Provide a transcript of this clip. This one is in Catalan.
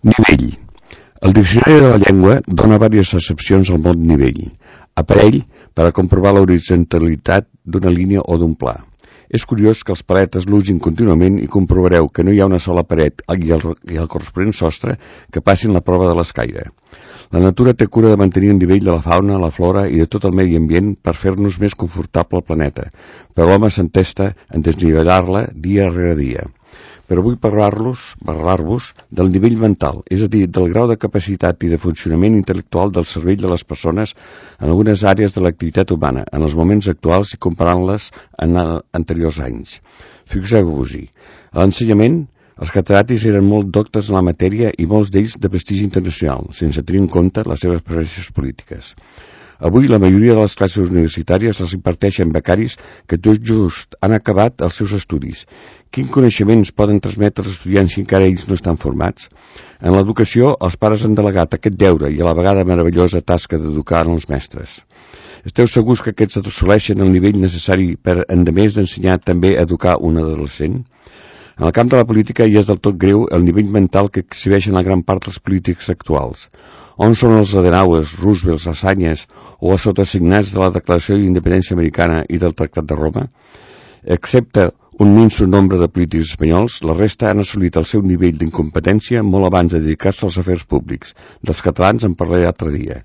Nivell. El diccionari de la llengua dona diverses accepcions al mot nivell. Aparell per a comprovar l'horitzontalitat d'una línia o d'un pla. És curiós que els paletes l'usin contínuament i comprovareu que no hi ha una sola paret i el corresponent sostre que passin la prova de l'escaire. La natura té cura de mantenir el nivell de la fauna, la flora i de tot el medi ambient per fer-nos més confortable el planeta, però l'home s'entesta en desnivellar-la dia rere dia. Però vull parlar-vos del nivell mental, és a dir, del grau de capacitat i de funcionament intel·lectual del cervell de les persones en algunes àrees de l'activitat humana, en els moments actuals i comparant-les en anteriors anys. Fixeu-vos-hi, a l'ensenyament, els catedràtics eren molt doctes en la matèria i molts d'ells de prestigi internacional, sense tenir en compte les seves preferències polítiques. Avui la majoria de les classes universitàries les imparteixen becaris que tot just han acabat els seus estudis. Quins coneixements poden transmetre els estudiants si encara ells no estan formats? En l'educació, els pares han delegat aquest deure i a la vegada meravellosa tasca d'educar els mestres. Esteu segurs que aquests assoleixen el nivell necessari per, endemés d'ensenyar, també educar un adolescent? En el camp de la política ja és del tot greu el nivell mental que exhibeixen la gran part dels polítics actuals. On són els Adenauers, Roosevelt, Assanyes o els sotasignats de la Declaració d'Independència Americana i del Tractat de Roma? Excepte un minso nombre de polítics espanyols, la resta han assolit el seu nivell d'incompetència molt abans de dedicar-se als afers públics. Dels catalans en parlaré l'altre dia.